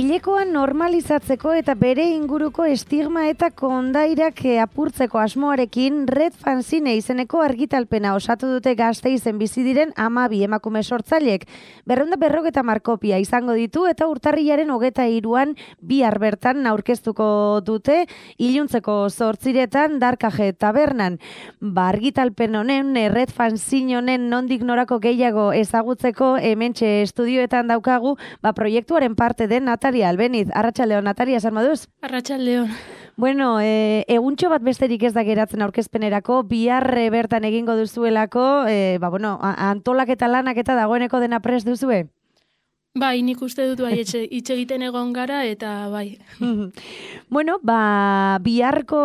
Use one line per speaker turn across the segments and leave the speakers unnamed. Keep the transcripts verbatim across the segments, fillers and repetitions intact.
Hilekoa normalizatzeko eta bere inguruko estigma eta kondairak apurtzeko asmoarekin Red Fanzine izeneko argitalpena osatu dute Gasteizen bizi diren hamabi emakume sortzaileek. Berrehun eta berrogeita hamar kopia izango ditu eta urtarrilaren hogeita hiruan bihar bertan aurkeztuko dute iluntzeko zortziretan Darkaje tabernan. Ba, argitalpen honen, Red Fanzine honen nondik norako gehiago ezagutzeko hementxe estudioetan daukagu, ba, proiektuaren parte den Natalia Albeniz. Arratsaldeon, Natalia, zer moduz?
Arratsaldeon.
Bueno, e, eguntxo bat besterik ez da geratzen aurkezpenerako, bihar bertan egingo duzuelako, e, ba, bueno, antolaketa lanak eta dagoeneko dena prest duzue?
Bai, nik uste dut bai, hitz egiten egon gara eta bai.
Bueno, ba, biharko,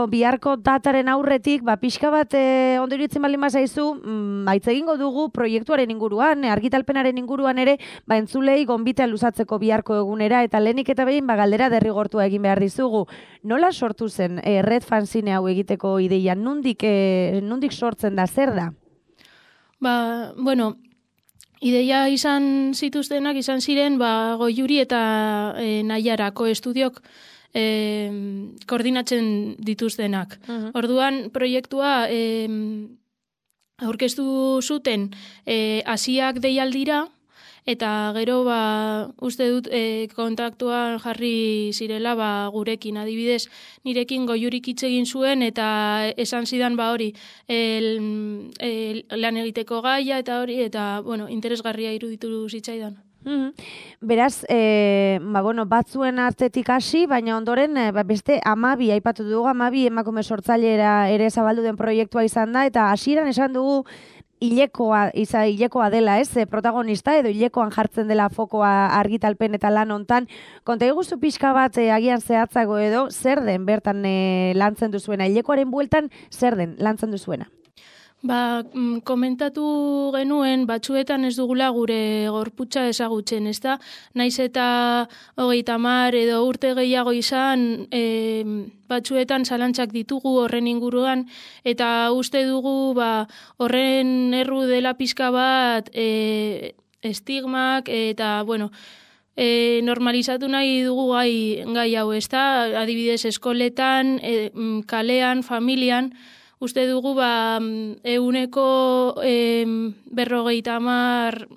biharko dataren aurretik, ba, pixka bat e, ondo iruditzen baldin bazaizu, mm, aitz egingo dugu proiektuaren inguruan, argitalpenaren inguruan ere, ba, entzulei gonbitea luzatzeko biharko egunera, eta lehenik eta behin, ba, galdera derrigortua egin behar dizugu. Nola sortu zen e, Red Fanzine hau egiteko ideia? Nundik, e, nundik sortzen da, zer da?
Ba, bueno, ideia izan zituztenak izan ziren ba, Goiuri eta e, Naiarako estudiok e, koordinatzen dituztenak. Uh-huh. Orduan, proiektua e, aurkeztu zuten e, Asiak deialdira, eta gero ba, uste dut e, kontaktuan jarri zirela ba, gurekin, adibidez, nirekin Goiurik hitz egin zuen eta esan zidan ba hori el, el, lan egiteko gaia eta hori, eta bueno, interesgarria iruditu zitzaidan.
Mm-hmm. Beraz, e, ba, bueno, batzuen artetik hasi, baina ondoren e, ba, beste hamabi aipatu dugu, hamabi emakume sortzailera ere zabaldu den proiektua izan da, eta hasieran esan dugu hilekoa, iza, hilekoa dela, ez, protagonista, edo hilekoan jartzen dela fokoa argitalpen eta lan hontan. Konta iguzu pixka bat e, agian zehatzago edo, zer den bertan e, lantzen duzuena? Hilekoaren bueltan zer den lantzen duzuena?
Ba, komentatu genuen, batzuetan ez dugula gure gorputza ezagutzen, ez da? Naiz eta hogeita hamar edo urte gehiago izan, e, batzuetan zalantzak ditugu horren inguruan, eta uste dugu ba, horren erru dela pixka bat e, estigmak, eta, bueno, e, normalizatu nahi dugu gai, gai hau, ez da? Adibidez, eskoletan, e, kalean, familian, uste dugu ba, eguneko e, berrogeita hamar,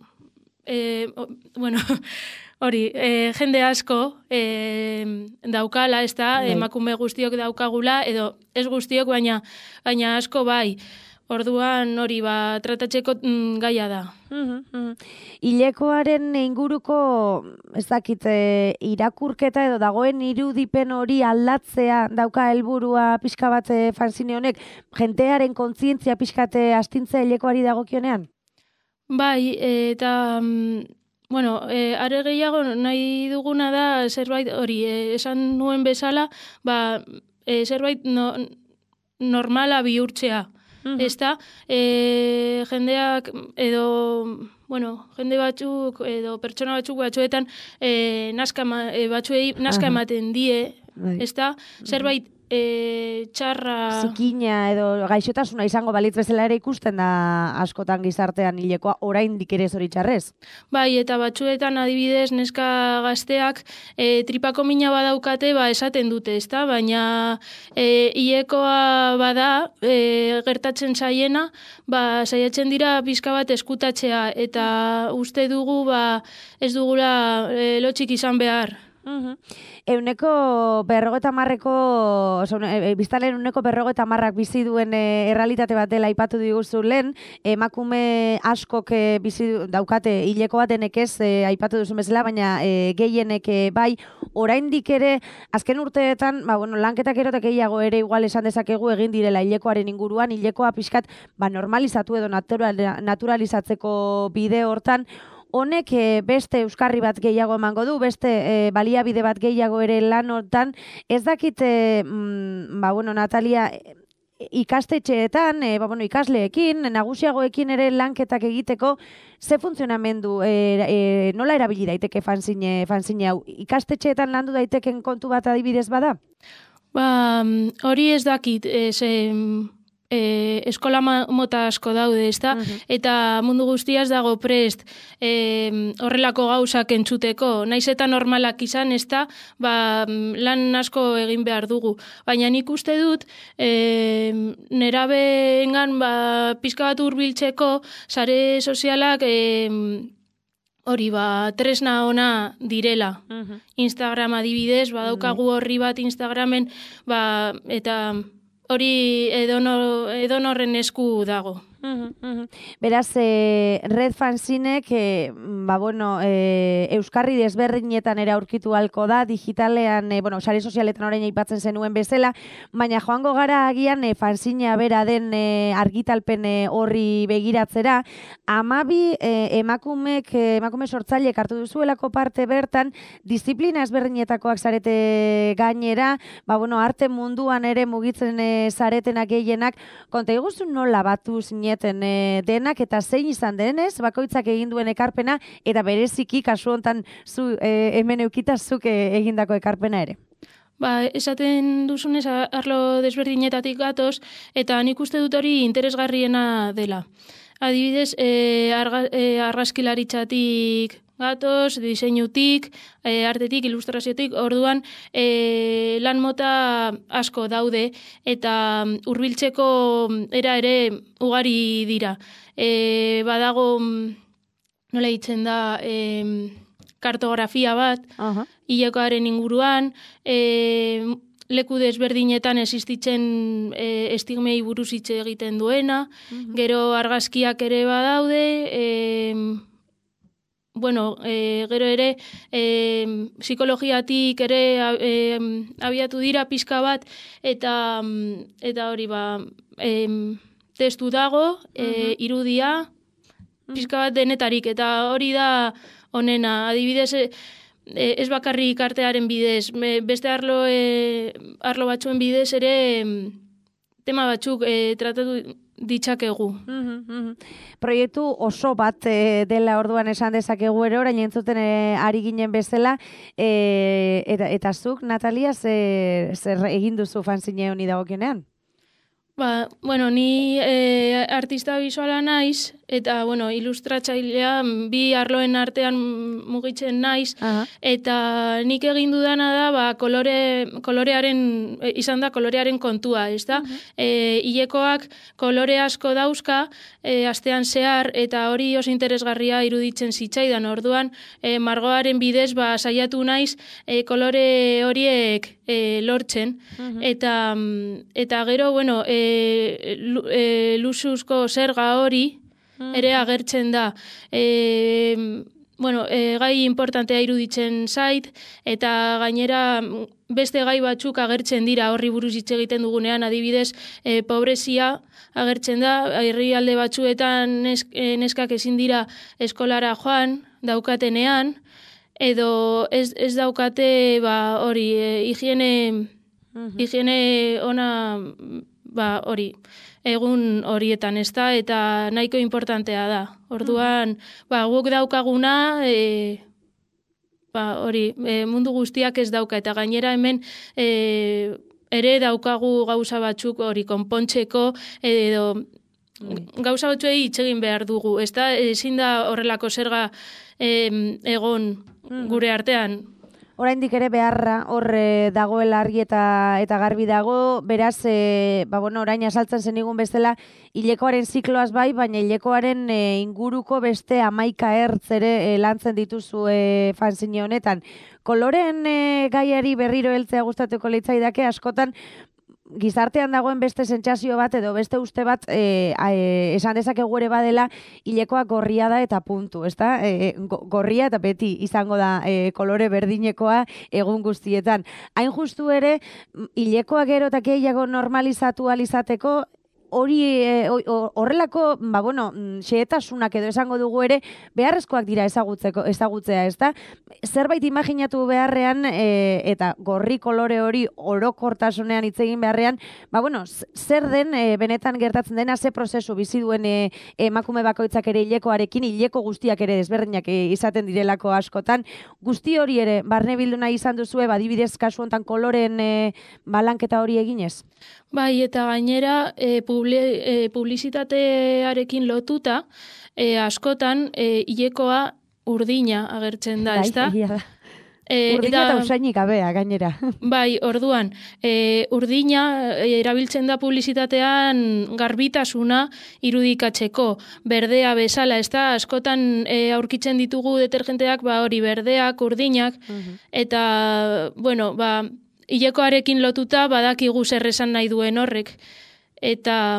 e, bueno, hori, e, jende asko e, daukala, ez da, emakume guztiok daukagula, edo ez guztiok, baina, baina asko bai. Orduan hori ba, tratatzeko mm, gaia da.
Mm-hmm. Hilekoaren inguruko, ez dakit, e, irakurketa edo dagoen irudipen hori aldatzea dauka helburua pixka bat e, fanzine honek, jentearen kontzientzia pixkate astintzea hilekoari dagokionean?
Bai, eta mm, bueno, e, are gehiago nahi duguna da zerbait hori, e, esan nuen bezala, ba, e, zerbait no, normala bihurtzea. Uh-huh. Ez da, e, jendeak edo, bueno, jende batzuk edo pertsona batzuk batzuetan e, naska, e, batzuei naska uh-huh. ematen die, ez da, zerbait e, txarra...
Zikina edo gaixotasuna izango balitz bezala ere ikusten da askotan gizartean hilekoa oraindik ere zoritxarrez.
Bai, eta batzuetan adibidez neska gazteak e, tripako mina badaukate ba esaten dute, ezta? Baina e, hilekoa bada e, gertatzen zaiena, ba saiatzen dira pixka bat eskutatzea eta uste dugu ba ez dugula e, lotxik izan behar.
Uh-huh. Euneko berrogeita hamarreko, e, biztanleen euneko berrogeita hamarrak bizi duen e, errealitate bat dela aipatu diguzu lehen, emakume askok e, bizi daukate hileko batenek ez e, aipatu duzun bezala, baina e, gehienek e, bai, oraindik ere, azken urteetan, ba, bueno, lanketak erotek gehiago ere igual esan dezakegu egin direla hilekoaren inguruan, hilekoa pixkat ba, normalizatu edo natural, naturalizatzeko bide hortan. Honek beste euskarri bat gehiago emango du, beste e, baliabide bat gehiago ere lan hortan. Ez dakit, e, mm, ba, bueno, Natalia, ikastetxeetan, e, ba, bueno, ikasleekin, nagusiagoekin ere lanketak egiteko, ze funtzionamendu, e, e, nola erabili daiteke fanzine, fanzine hau? Ikastetxeetan landu daiteken kontu bat adibidez bada?
Ba, hori ez dakit, ez... e, eskola mota asko daude, ezta? Uh-huh. Eta mundu guztiaz dago prest e, horrelako gauzak entzuteko. Naiz eta normalak izan, ezta, ba, lan asko egin behar dugu. Baina nik uste dut, e, nerabeengan ba, pizka bat hurbiltzeko sare sozialak e, hori ba, tresna ona direla. Uh-huh. Instagram adibidez, badaukagu horri bat Instagramen, ba, eta hori edonor, edonorren esku dago.
Uh-huh, uh-huh. Beraz, eh, Red Fanzinek, eh, ba, bueno, eh, euskarri desberdinetan ere aurkitu halko da, digitalean, eh, bueno, sare sozialetan orain aipatzen zenuen bezala, baina joango gara agian eh, fanzina bera den eh, argitalpen eh, horri begiratzera, amabi eh, emakumek, eh, emakume sortzailek hartu duzuelako parte bertan, disiplina ezberdinetakoak zarete gainera, ba, bueno, arte munduan ere mugitzen eh, zaretenak gehienak, konta iguzu nola batu zine E, denak eta zein izan denez, bakoitzak egin duen ekarpena eta bereziki kasu hontan zu e, hemen eukitazuk e, egindako ekarpena ere.
Ba, esaten duzunez arlo desberdinetatik gatoz eta nik uste dut hori interesgarriena dela. Adibidez, e, arga, e, argazkilaritzatik gatoz, diseinutik, e, artetik, ilustraziotik, orduan e, lan mota asko daude eta hurbiltzeko era ere ugari dira. E, badago, nola ditzen da, e, kartografia bat, uh-huh. hilekoaren inguruan, e, leku desberdinetan existitzen e, estigmei buruz hitz egiten duena, uh-huh. gero argazkiak ere badaude, e, bueno, e, gero ere e, psikologiatik ere e, abiatu dira pizka bat eta eta hori ba e, testu dago, e, uh-huh. irudia pizka bat denetarik eta hori da honena. Adibidez, e, ez bakarrik artearen bidez, beste arlo e, arlo batzuen bidez ere tema batzuk e, tratatu ditzakegu.
Uh-huh, uh-huh. Proiektu oso bat e, dela orduan esan dezakegu ere, orain entzuten e, ari ginen bezala, e, eta, eta zuk, Natalia, zer, zer egin duzu fanzine honi dagokionean?
Ba, bueno, ni e, artista bisuala naiz, eta, bueno, ilustratzailea bi arloen artean mugitzen naiz, uh-huh. eta nik egin dudana da, ba, kolore, kolorearen, izan da kolorearen kontua, ez da? Uh-huh. E, hilekoak kolore asko dauzka, e, astean zehar, eta hori oso interesgarria iruditzen zitzaidan, orduan, e, margoaren bidez, ba, saiatu naiz, e, kolore horiek e, lortzen, uh-huh. eta, eta gero, bueno, e, E, lusuzko zerga hori ere agertzen da. E, bueno, e, gai importantea iruditzen zait, eta gainera beste gai batzuk agertzen dira horri buruz hitz egiten dugunean, adibidez, e, pobrezia agertzen da, herrialde batzuetan nesk, e, neskak ezin dira eskolara joan, daukatenean, edo ez, ez daukate ba, hori, e, higiene, uh-huh. higiene ona... ba, hori, egun horietan, ez da, eta nahiko importantea da. Orduan, ba, guk daukaguna, e, ba, hori, e, mundu guztiak ez dauka, eta gainera hemen e, ere daukagu gauza batzuk hori konpontzeko, edo gauza batzuei hitz egin behar dugu, ez da, ezin da horrelako zerga e, egon gure artean.
Oraindik ere beharra hor e, dagoela argi eta eta garbi dago, beraz, e, ba, bueno, orain asaltzen zenigun bezala, hilekoaren zikloaz bai, baina hilekoaren e, inguruko beste hamaika ertz ere e, lantzen dituzu e, fanzine honetan. Koloren e, gaiari berriro heltzea gustatuko litzaidake, askotan gizartean dagoen beste sentsazio bat edo beste uste bat e, e, esan dezakegu ere badela hilekoa gorria da eta puntu, ezta? E, gorria eta beti izango da e, kolore berdinekoa egun guztietan. Hain justu ere hilekoa gero eta gehiago normalizatu alizateko hori horrelako, ba bueno, xehetasunak edo esango dugu ere beharrezkoak dira ezagutzeko ezagutzea, ezta? Zerbait imaginatu beharrean e, eta gorri kolore hori orokortasunean hitz egin beharrean, ba bueno, zer den e, benetan gertatzen dena, ze prozesu bizi duen e, emakume bakoitzak ere hilekoarekin, hileko guztiak ere desberdinak e, izaten direlako askotan, guzti hori ere barne bildu nahi izan duzue, badibidez kasu hontan koloren e, balanketa hori eginez?
Bai, eta gainera, e, publi, e, publizitatearekin lotuta, e, askotan, e, hilekoa urdina agertzen da, ez da?
E, urdina eta usainik abea, gainera.
Bai, orduan, e, urdina e, erabiltzen da publizitatean garbitasuna irudikatzeko, berdea bezala, ez da, askotan e, aurkitzen ditugu detergenteak, ba hori berdeak, urdinak, uh-huh. eta, bueno, ba, hilekoarekin lotuta badakigu zer esan nahi duen horrek. Eta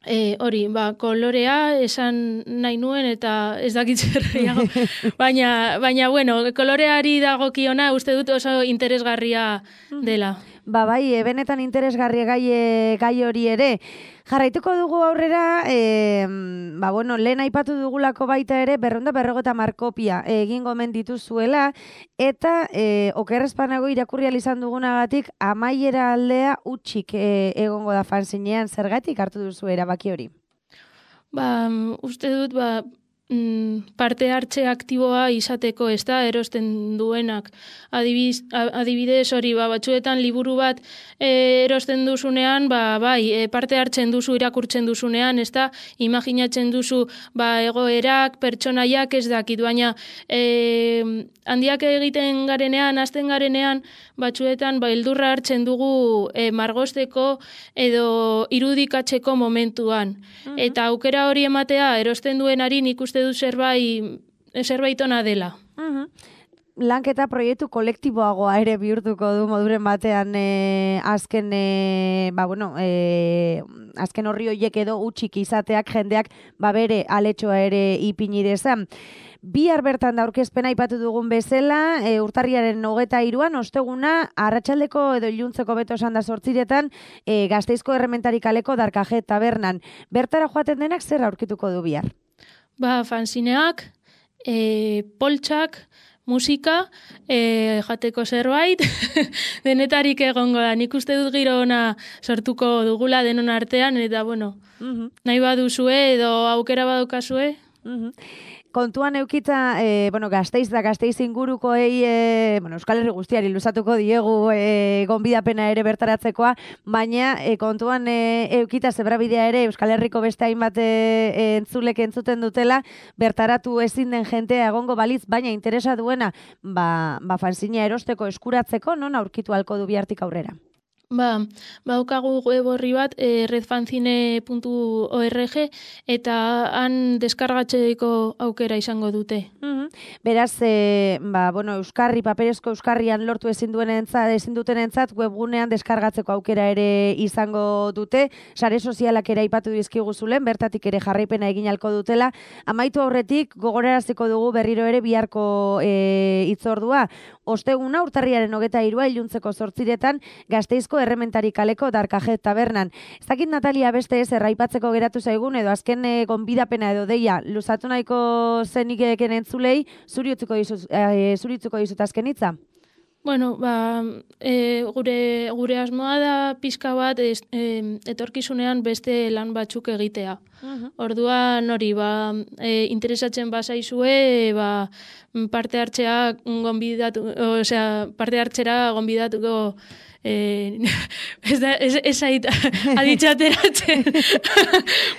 e, hori, ba, kolorea esan nahi nuen eta ez dakit zerreiago. baina, baina, bueno, koloreari dagokiona uste dut oso interesgarria dela.
Ba, bai, benetan interesgarria gai, gai hori ere. Jarraituko dugu aurrera, e, ba, bueno, lehen aipatu dugulako baita ere, berrunda berrogeta markopia egin gomen dituzuela, eta e, okerrezpanago irakurri izan dugunagatik, amaiera aldea utxik e, egongo da fanzinean, zergatik hartu duzu erabaki hori?
Ba, uste dut, ba, parte hartze aktiboa izateko, ez da, erosten duenak. Adibiz, adibidez hori, ba, batzuetan liburu bat e, erosten duzunean, ba, bai, e, parte hartzen duzu irakurtzen duzunean, ez da, imaginatzen duzu ba, egoerak, pertsonaiak ez dakit, baina e, handiak egiten garenean, hasten garenean, batzuetan ba, eldurra hartzen dugu e, margosteko edo irudikatzeko momentuan. Uh-huh. Eta aukera hori ematea erosten duenari nik uste du zerbait, zerbait ona dela.
Uh-huh. Lanketa proiektu kolektiboagoa ere bihurtuko du moduren batean e, azken, e, ba, bueno, e, azken horri horiek edo utxik izateak jendeak ba, bere aletxoa ere ipinidezan. Bihar bertan da aurkezpena aipatu dugun bezala, e, urtarriaren hogeta hiruan, osteguna, arratsaldeko edo iluntzeko beto esan da zortziretan, e, Gasteizko Errementari kaleko Darkaje tabernan. Bertara joaten denak zer aurkituko du bihar?
Ba, fanzineak, e, poltsak, musika, e, jateko zerbait, denetarik egongo da. Nik uste dut giro ona sortuko dugula denon artean, eta bueno, uh-huh. nahi baduzue edo aukera badukazue.
Uh-huh. Kontuan eukita, e, bueno, Gasteiz da Gasteiz ingurukoei, e, bueno, Euskal Herri guztiari luzatuko diegu e, gonbidapena ere bertaratzekoa, baina e, kontuan e, eukita zebrabidea ere Euskal Herriko beste hainbat e, entzulek entzuten dutela, bertaratu ezin den jentea egongo balitz, baina interesa duena, ba, ba fanzina erosteko eskuratzeko, non aurkitu halko du bihartik aurrera?
Ba, baukagu web horri bat, e, redfanzine puntu org, eta han deskargatzeko aukera izango dute.
Mm-hmm. Beraz, e, ba, bueno, euskarri, paperezko euskarrian lortu ezin duen entzat, ezin duten entzat, webgunean deskargatzeko aukera ere izango dute, sare sozialak ere aipatu dizkigu zulen, bertatik ere jarraipena egin halko dutela. Amaitu aurretik, gogoraraziko dugu berriro ere biharko e, itzordua. Osteguna, urtarriaren hogeta hirua, iluntzeko zortziretan, Gasteizko Errementari kaleko Darkaje tabernan. Ez dakit, Natalia, beste ez erraipatzeko geratu zaigun, edo azken e, gonbidapena edo deia, luzatu nahiko zenik eken entzulei, zuri utzuko dizut, e, zuri utzuko dizut azken hitza?
Bueno, ba, e, gure, gure asmoa da pixka bat ez, e, etorkizunean beste lan batzuk egitea. Uh-huh. Orduan hori, ba, e, interesatzen bazaizue, ba, parte hartzea gonbidatu, osea, parte hartzera gonbidatuko Eh, ez da, ez, ez ait aditxateratzen,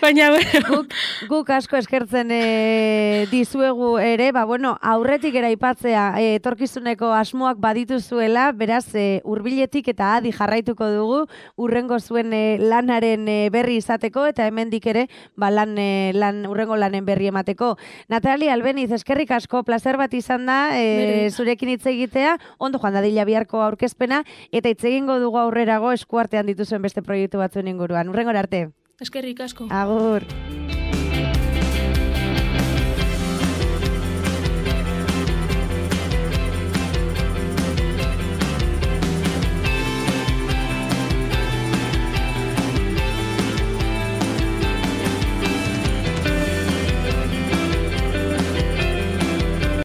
baina, bueno.
Guk, guk asko eskertzen e, dizuegu ere, ba, bueno, aurretik eraipatzea e, etorkizuneko asmoak badituzuela, beraz, e, hurbiletik eta adi jarraituko dugu, urrengo zuen e, lanaren e, berri izateko, eta hemendik ere, ba, lan, e, lan, urrengo lanen berri emateko. Natalia Albeniz, eskerrik asko, placer bat izan da, e, zurekin hitz egitea, ondo joan dadila biharko aurkezpena, eta hitz egingo dugu aurrerago eskuartean dituzuen beste proiektu batzuen inguruan. Urrengora arte.
Eskerrik asko.
Agur.